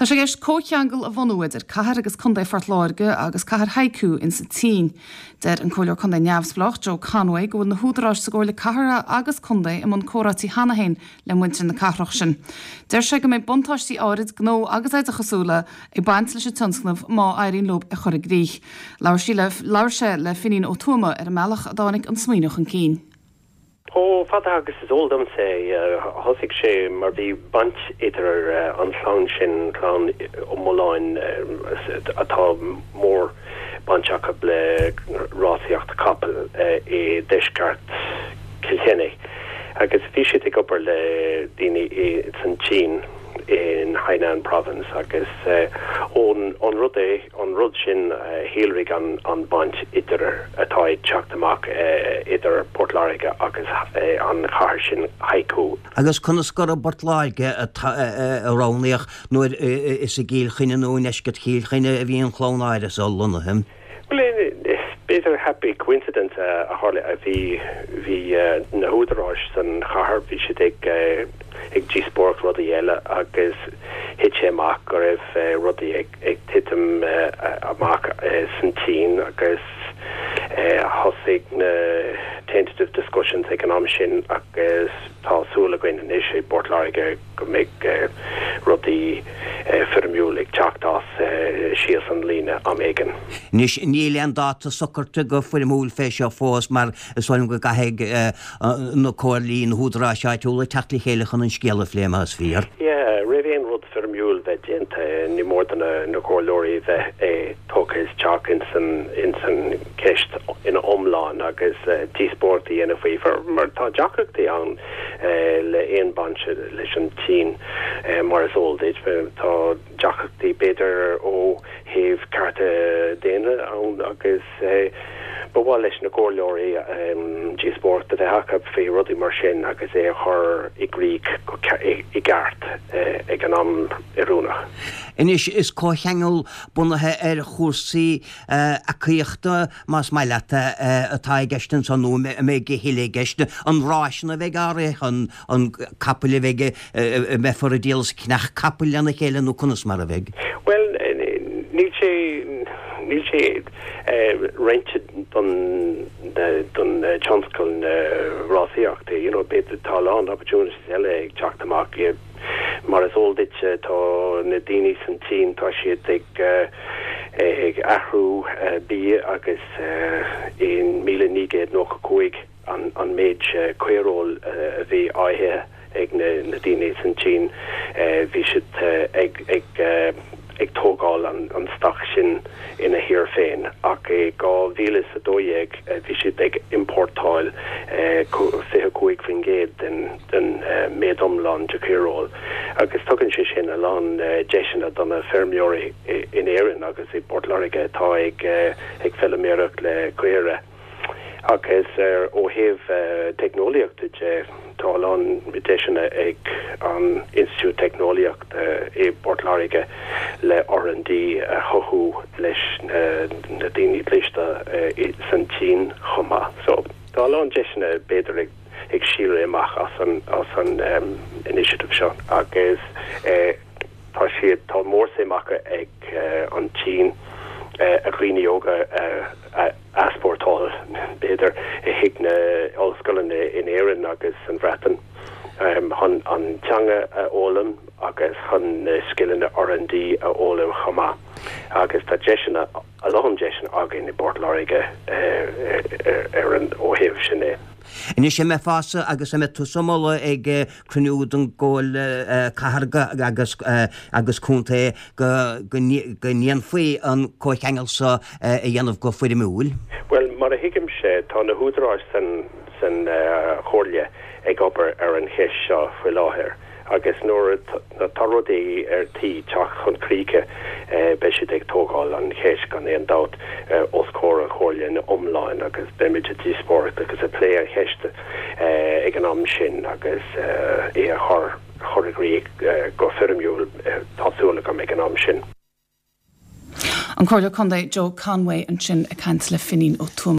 Tá sé i gceist comhcheangal a bhunú idir Cathair agus Contae Phort Láirge agus cathair Haikou insa tSín. Deir an Comhairleoir Contae neamhspleách Joe Conway go bhfuil na húdaráis sa gComhairle Cathartha agus Contae i mbun comhráití cheana féin le muintir na cathrach sin. Deir sé go mbeidh buntáistí áirid gnó agus oideachasúla ag baint leis an tionscnamh má éiríonn leo é a chur i gcrích. Labhair sí le labhair sé le Finín Ó Tuama ar an mbealach a dtáinig an smaoineamh chun cinn. Chomh fada agus is eol domsa é, thosaigh sé mar bhí baint idir an chlann sin, clann Ó Mulláin, atá mór baint acu le rásaíocht capall i deisceart Chill Chainnigh, agus bhí siad ag obair le daoine san tSín, in Hainan Province, agus ón rud é. an rud sin a shíolraigh an baint idir atá ag teacht amach idir Port Láirge agus an chathair sin Haikou. Agus conas gur i bPort Láirge a roghnaíodh nuair is i gCill Chainnigh nó i ndeisceart Chill Chainnigh a bhí an chlann áirithe so lonnaithe? Bhuel, b'fhéidir happy coincidence a tharla. Bhí, bhí na húdaráis san chathair, bhí siad ag, ag díospóireacht rudaí eile agus thit sé amach go raibh rudaí ag, ag titim amach san tSín agus thosaigh na tentative discussions ag an am sin agus tá súil againn anois i bPort Láirge go mbeidh rudaí foirmiúil ag teacht as síos an líne am éigin. Anois níl aon dáta socraithe go foirmiúil fé seo fós mar is dóigh liom go gcaithfidh na comhairlí, na húdaráis áitiúla teacht le chéile chun an scéal a phlé más fíor. Yeah, roimh aon rud foirmiúil bheith déanta, ní mór do na comhairleoirí bheith tógtha isteach ins an cheist ina iomlán agus díospóireacht a dhéanamh faoi, mar tá deacrachtaí ann le aon baint leis an tSín, mar is eol duit. Tá deacrachtaí b'fhéidir ó thaobh cearta daonna ann agus ba mhaith leis na comhairleoirí díospóireacht a bheith acu faoi rudaí mar sin agus é a chur i gcrích i gceart ag an am oiriúnach. Anois, is comhcheangal bunaithe ar chúrsaí eacaíochta, más maith leat, atá i gceist anso, nó an mbeidh a thuilleadh i gceist? An ráiseanna a bheidh á rith, an capaill a bheidh, a mbeifear ag díol is ag ceannach capaill lena chéile nó conas mar a bheidh? Bhuel, níl sé, níl sé roinnte don don tionscal na rásaíochta, you know, b'fhéidir tá a lán opportunities eile ag teacht amach. Mar is eol duit tá na daoine san tSín, tá siad ag ag athrú bia agus in 1995, an méid caoireoil a bhí á ithe ag na daoine san tSín, bhí siad ag tógáil an stoc sin ina thír féin. Ach i 2012 bhí siad ag importáil 25% den méid iomlán de chaoireoil agus tugann sé sin a lán deiseanna do na feirmeoirí in Éirinn agus i bPort Láirge atá ag feilméaracht le caora. Agus ó thaobh teicneolaíochta de, tá a lán deiseanna ag an Institiúid Teicneolaíochta i bPort Láirge le R&D a chothú leis na daoine cliste san tSín chomh maith. So, tá a lán deiseanna b'fhéidir ag síolrú amach as an as an initiative seo agus tá siad, tá mórsuim acu ag an tSín a dhaoine óga a easpórtáil, b'fhéidir, chuig na ollscoileanna in Éirinn agus san Bhreatain chun an teanga a fhoghlaim agus chun na scileanna R&D a fhoghlaim chomh maith. Agus tá deiseanna, a lán deiseanna againn i bPort Láirge ar an, ó thaobh sin de. Anois an mbeifeása agus an mbeidh tusa ag moladh ag cruinniú den gComhairle Cathrach agus agus Contae go go ndéanfaí an comhcheangal seo a dhéanamh go foirmiúil? Bhuel, mar a thuigimse, tá na húdaráis san san Chomhairle ag obair ar an cheist seo faoi láthair agus nuair atá rudaí ar tí teacht chun críche beidh siad ag tógáil an cheist gan aon dabht os comhair an Chomhairle ina iomláin agus beimid ag díospóireacht agus ag plé an cheist ag an am sin agus é a chur chur i gcrích go foirmiúil, tá súil agam, ag an am sin. An Comhairleoir Contae Joe Conway ansin ag caint le Finín Ó Tuama.